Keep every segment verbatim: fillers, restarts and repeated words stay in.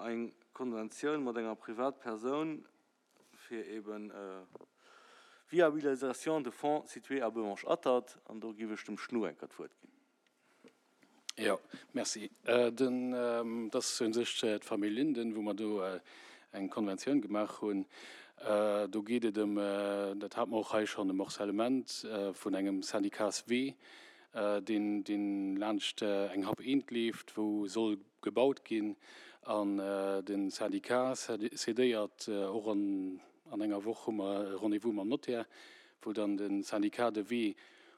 eng Konventioun mat enger Privatpersoun fir eben Viabilisation de fonds situé à Beuvange-Atert an do géif ech dem Schnu eng Kéier d'Wuert ginn. Jo, merci. Den, dat ass u sech d'Famill Linden, wou mer do eng Konventioun gemaach hunn. Do geet et ëm, dat hate mer och hei schonn, e Morcellement vun engem Syndicatswee, deen, deen laanscht eng Happ eent leeft, wou soll gebaut ginn. An de Syndicat cédéiert och an, an enger Woch hu mer e Rendez-vous mam Notaire, wou dann de Syndicat de Wee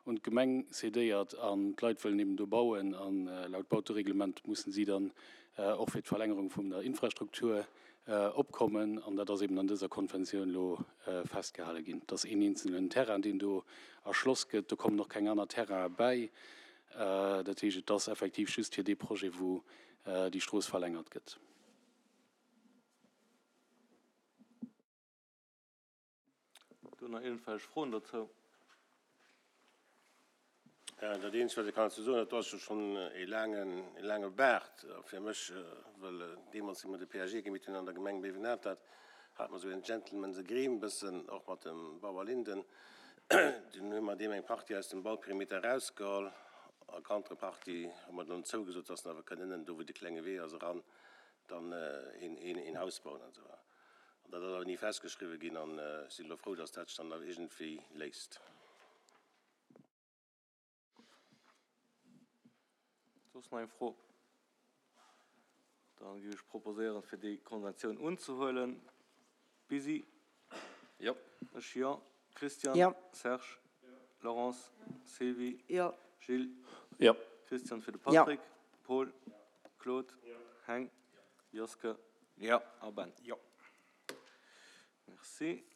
un d'Gemeng cédéiert an d'Leit wëllen eben do bauen. An laut Bautereglement mussen si dann och fir d'Verlängerung vun der Infrastruktur opkommen. An dat ass eben an dëser Konventioun elo festgehale ginn. Et ass een eenzelnen Terrain, deen do erschloss gëtt. Do kommen och keng aner Terrainen bäi. Dat heescht, et ass effektiv just fir dee Projet, wou déi Strooss verlängert gëtt. Do nach iergendwelch Froen dozou? Dat eenzegt, wat ech kann dozou soen, dat ass jo schonn e laangen, e laange Baart fir mech, well deemools, wéi mer de P A G gemitt hunn an der Gemeng Béiwen-Atert, hate mer esou en Gentleman's Agreement bëssen, och mat dem Bauer Linden. Dunn hu mer deem eng Partie aus dem Bauperimeter erausgeholl a Contrepartie hu mer dann zougesot, dass en awer kënn ënnen, do wou de klenge Wee ass, eran dann een, een, een Haus bauen an esou. An dat ass awer ni festgeschriwwen ginn an ech sinn elo frou, dass dat sech dann awer iergendwéi léist. Soss nach eng Fro? Da géif ech proposéieren, fir déi Konventioun unzehuelen. Bisi? Jo. Ech jo. Christian? Jo. Serge? Jo. Laurence? Sylvie? Jo. Gilles? Jo. Christian fir de Jo. Patrick? Paul? Claude? Jo. Heng? Joske? Jo. A Ben? Jo. Merci.